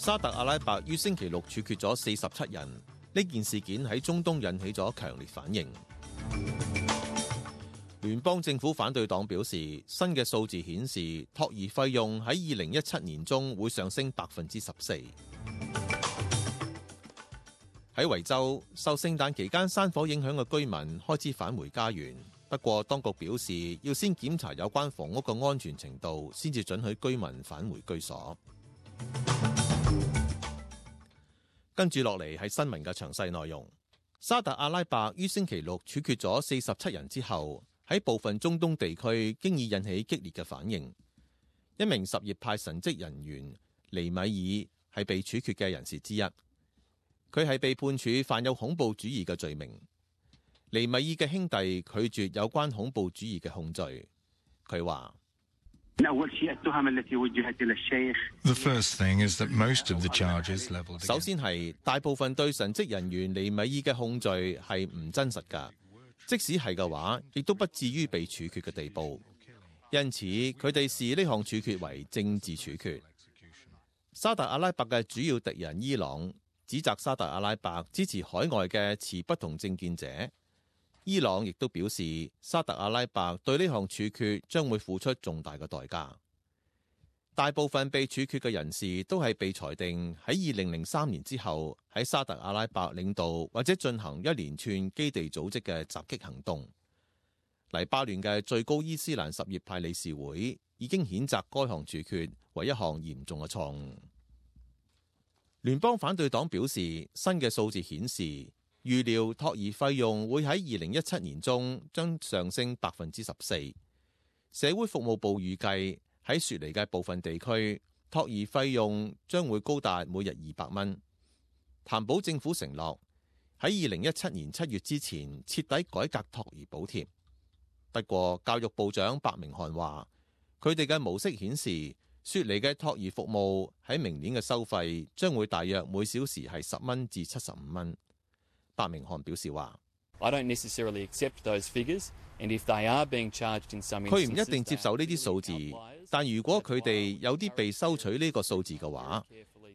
沙特阿拉伯於星期六處決咗47人，呢件事件喺中東引起咗強烈反應。聯邦政府反對黨表示，新嘅數字顯示托兒費用喺2017年中會上升14%。喺維州，受聖誕期間山火影響嘅居民開始返回家園，不過當局表示要先檢查有關房屋嘅安全程度，先至准許居民返回居所。跟住落嚟係新聞嘅詳細內容。沙特阿拉伯於星期六處決咗47人之後，喺部分中東地區經已引起激烈嘅反應。一名什葉派神職人員尼米爾係被處決嘅人士之一，佢係被判處犯有恐怖主義嘅罪名。尼米爾嘅兄弟拒絕有關恐怖主義嘅控罪。佢話首先係大部分對神職人員尼米爾嘅控罪係唔真實㗎，即使係嘅話，亦都不至於被處決嘅地步。因此，佢哋視呢項處決為政治處決。沙特阿拉伯嘅主要敵人伊朗指責沙特阿拉伯支持海外嘅持不同政見者。伊朗亦都表示，沙特阿拉伯對呢項處決將會付出重大嘅代價。大部分被處決嘅人士都係被裁定喺2003年之後喺沙特阿拉伯領導或者進行一連串基地組織嘅襲擊行動。黎巴嫩嘅最高伊斯蘭什葉派理事會已經譴責該項處決為一項嚴重嘅錯誤。聯邦反對黨表示，新嘅數字顯示，預料托兒費用會喺2017年中將上升14%。社會服務部預計喺雪梨嘅部分地區，托兒費用將會高達每日200蚊。譚保政府承諾喺2017年7月之前徹底改革托兒補貼。不過，教育部長白明翰話，佢哋嘅模式顯示，雪梨嘅托兒服務喺明年嘅收費將會大約每小時係10蚊至75蚊。白明翰表示話，佢唔一定接受呢啲數字，但如果佢哋有啲被收取呢個數字嘅話，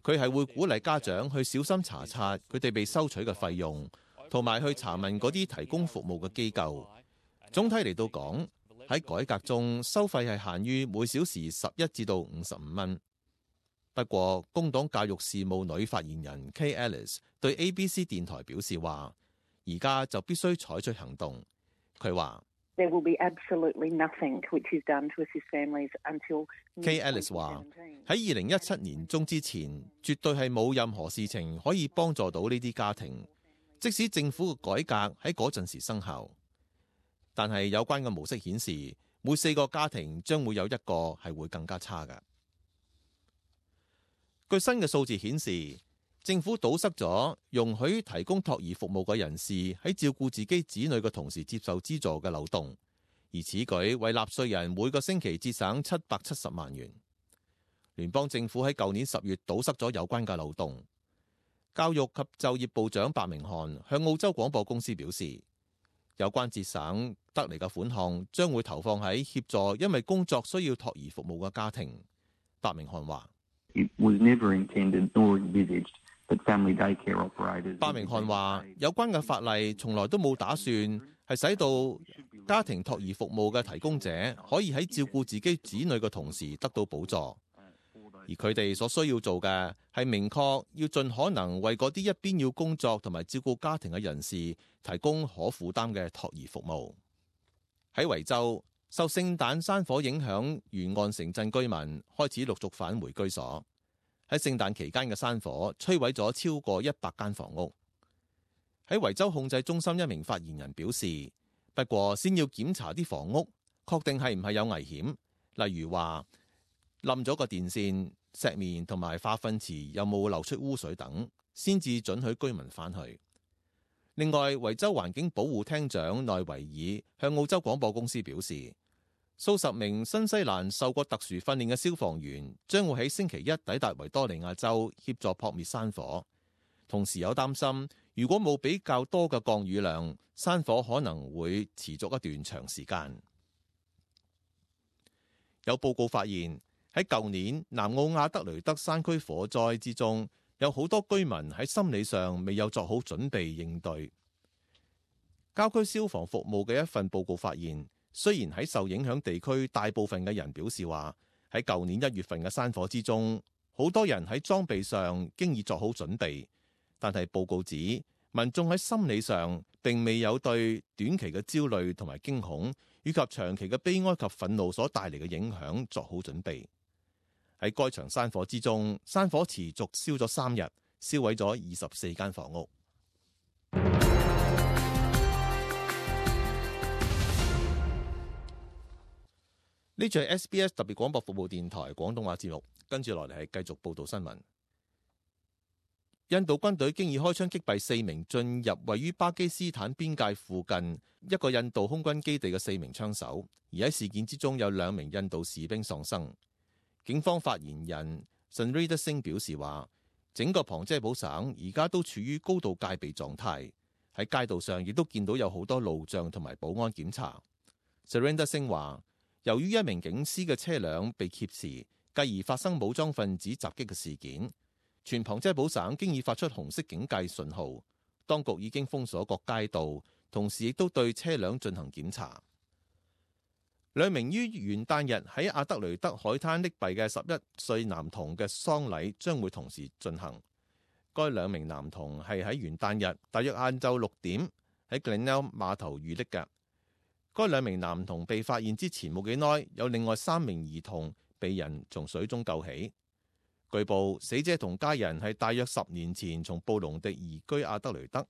佢係會鼓勵家長去小心查察佢哋被收取嘅費用，同埋去查問嗰啲提供服務嘅機構。總體嚟到講，喺改革中收費係限於每小時11至到55蚊。不過，工黨教育事務女發言人 Kay Ellis 對 ABC 電台表示話，而家就必須採取行動。佢話，Kay Ellis 話喺2017年中之前，絕對係冇任何事情可以幫助到呢啲家庭，即使政府嘅改革喺嗰陣時生效。但係有關嘅模式顯示，每4個家庭將會有1個係會更加差嘅。據新嘅數字顯示，政府堵塞咗容許提供托兒服務嘅人士喺照顧自己子女嘅同時接受資助嘅漏洞，而此舉為納稅人每個星期節省770萬元。聯邦政府喺舊年10月堵塞咗有關嘅漏洞。教育及就業部長白明翰向澳洲廣播公司表示，有關節省得嚟嘅款項將會投放喺協助因為工作需要托兒服務嘅家庭。白明翰話，白明翰話，有關嘅法例從來都冇打算係使到家庭托兒服務嘅提供者可以喺照顧自己子女嘅同時得到補助，而佢哋所需要做嘅係明確要盡可能為嗰啲一邊要工作同埋照顧家庭嘅人士提供可負擔嘅托兒服務。喺維州，受聖誕山火影響，沿岸城鎮居民開始陸續返回居所。喺聖誕期間嘅山火摧毀咗超過100間房屋。喺維州控制中心一名發言人表示，不過先要檢查啲房屋，確定係唔係有危險，例如話冧咗個電線、石棉同埋化糞池有冇流出污水等，先至准許居民返去。另外，維州環境保護廳長內維爾向澳洲廣播公司表示，數十名新西蘭受過特殊訓練嘅消防員將會喺星期一抵達維多利亞州協助撲滅山火。同時有擔心，如果冇比較多嘅降雨量，山火可能會持續一段長時間。有報告發現，喺舊年南澳亞德雷德山區火災之中，有好多居民喺心理上未有作好準備應對。郊區消防服務嘅一份報告發現，雖然喺受影響地區大部分嘅人表示話，喺舊年1月份嘅山火之中，好多人喺裝備上經已作好準備，但係報告指民眾喺心理上並未有對短期嘅焦慮同埋驚恐，以及長期嘅悲哀及憤怒所帶嚟嘅影響作好準備。喺該場山火之中，山火持續燒咗3日，燒毀咗24間房屋。呢處係 SBS 特別廣播服務電台廣東話節目，跟住落嚟係繼續報道新聞。印度軍隊經已開槍擊斃4名進入位於巴基斯坦邊界附近一個印度空軍基地嘅4名槍手，而喺事件之中有2名印度士兵喪生。警方發言人 Sunrindar Singh 表示話，整個旁遮普省而家都處於高度戒備狀態，喺街道上亦都見到有好多路障同埋保安檢查。Sunrindar Singh 話，由於一名警司嘅車輛被劫持，繼而發生武裝分子襲擊嘅事件，全旁遮普省經已發出紅色警戒信號，當局已經封鎖各街道，同時亦都對車輛進行檢查。2名於元旦日喺阿德雷德海灘溺斃嘅11歲男童嘅喪禮將會同時進行。該2名男童係喺元旦日大約晏晝6點喺 Glenelg 碼頭遇溺嘅。該2名男童被發現之前冇幾耐，有另外3名兒童被人從水中救起。據報，死者同家人係大約10年前從布隆迪移居阿德雷德。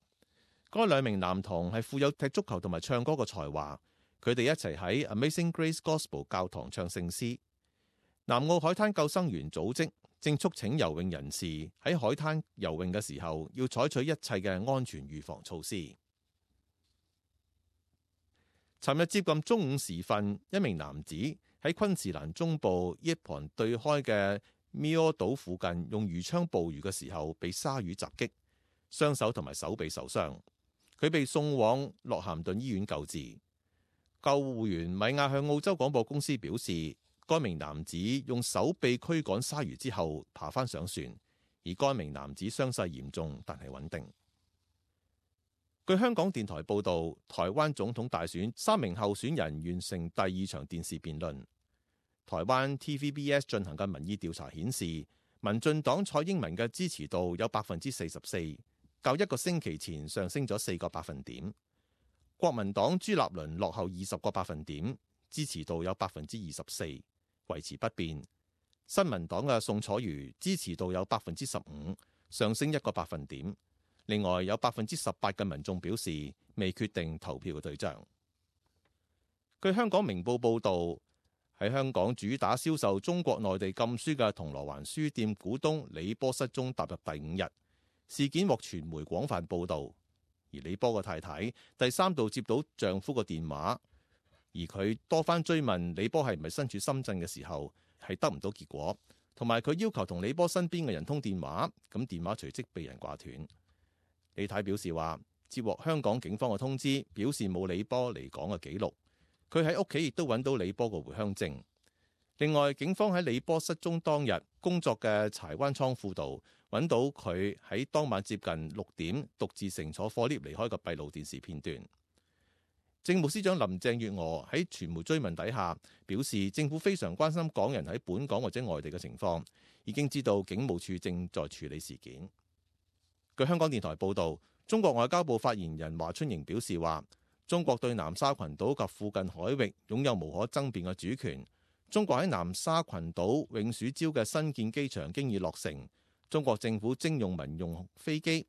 該2名男童係富有踢足球同埋唱歌嘅才華。佢哋一齊喺 Amazing Grace Gospel 教堂唱聖詩。南澳海灘救生員組織正促請游泳人士喺海灘游泳嘅時候要採取一切嘅安全預防措施。尋日接近中午時分，一名男子喺昆士蘭中部伊盤對開嘅 Mio 島附近用魚槍捕魚嘅時候被鯊魚襲擊，雙手同埋手臂受傷。佢被送往諾咸頓醫院救治。救護員米亞向澳洲廣播公司表示，該名男子用手臂驅趕鯊魚之後爬返上船，而該名男子傷勢嚴重但係穩定。據香港電台報導，台灣總統大選3名候選人完成第2場電視辯論。台灣 TVBS 進行嘅民意調查顯示，民進黨蔡英文嘅支持度有 44%， 較1個星期前上升咗4個百分點。國民黨朱立倫落後20個百分點，支持度有 24%， 維持不變。新民黨嘅宋楚瑜支持度有 15%， 上升1個百分點。另外有 18% 嘅民眾表示未決定投票嘅對象。據香港明報報導，喺香港主打銷售中國內地禁書嘅銅鑼灣書店股東李波失蹤踏入第5日，事件獲傳媒廣泛報導。而李波嘅太太第3度接到丈夫嘅電話，而佢多番追問李波係唔係身處深圳嘅時候，係得唔到結果，同埋佢要求同李波身邊嘅人通電話，咁電話隨即被人掛斷。李太表示話，接獲香港警方嘅通知，表示冇李波離港嘅記錄。佢喺屋企亦都揾到李波嘅回鄉證。另外，警方喺李波失蹤當日工作嘅柴灣倉庫度揾到佢喺當晚接近6點獨自乘坐貨 lift 離開嘅閉路電視片段。政務司長林鄭月娥喺傳媒追問底下表示，政府非常關心港人喺本港或者外地嘅情況，已經知道警務處正在處理事件。據香港電台報導，中國外交部發言人華春瑩表示話，中國對南沙群島及附近海域擁有無可爭辯嘅主權。中國喺南沙群島永暑礁嘅新建機場經已落成，中國政府徵用民用飛機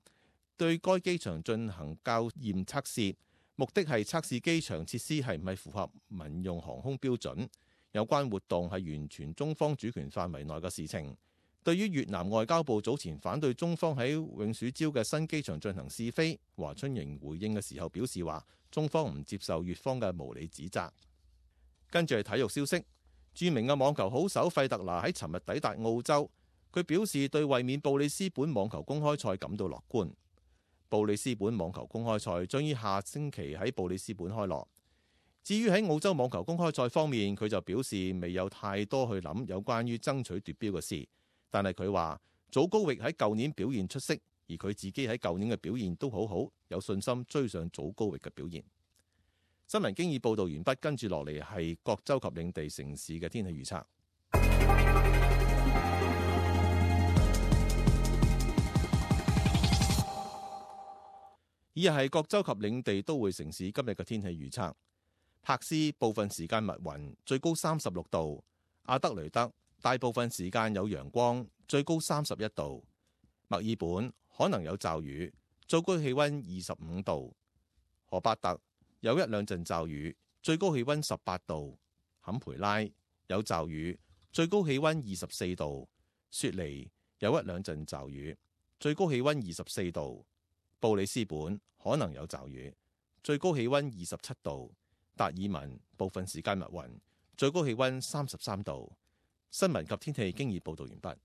對該機場進行校驗測試，目的係測試機場設施係唔係符合民用航空標準。有關活動係完全中方主權範圍內嘅事情。對於越南外交部早前反對中方喺永暑礁嘅新機場進行試飛，華春瑩回應嘅時候表示話，中方唔接受越方嘅無理指責。跟住係體育消息。著名嘅網球好手費特拿喺尋日抵達澳洲，佢表示對衛冕布里斯本網球公開賽感到樂觀。布里斯本網球公開賽將於下星期喺布里斯本開鑼。至於喺澳洲網球公開賽方面，佢就表示未有太多去諗有關於爭取奪標嘅事，但係佢話祖高域喺舊年表現出色，而佢自己喺舊年嘅表現都好好，有信心追上祖高域嘅表現。新聞經已報導完畢，跟住落嚟係各州及領地城市嘅天氣預測。以下係各州及領地都會城市今日嘅天氣預測。柏斯部分時間密雲，最高36度；阿德雷德大部分時間有陽光，最高31度；墨爾本可能有驟雨，最高氣溫25度；荷伯特有一兩陣驟雨，最高氣溫18度；坎培拉有驟雨，最高氣溫24度；雪梨有一兩陣驟雨，最高氣溫24度；布里斯本可能有驟雨，最高氣溫27度；達爾文部分時間密雲，最高氣溫33度。新聞及天氣經已報道完畢。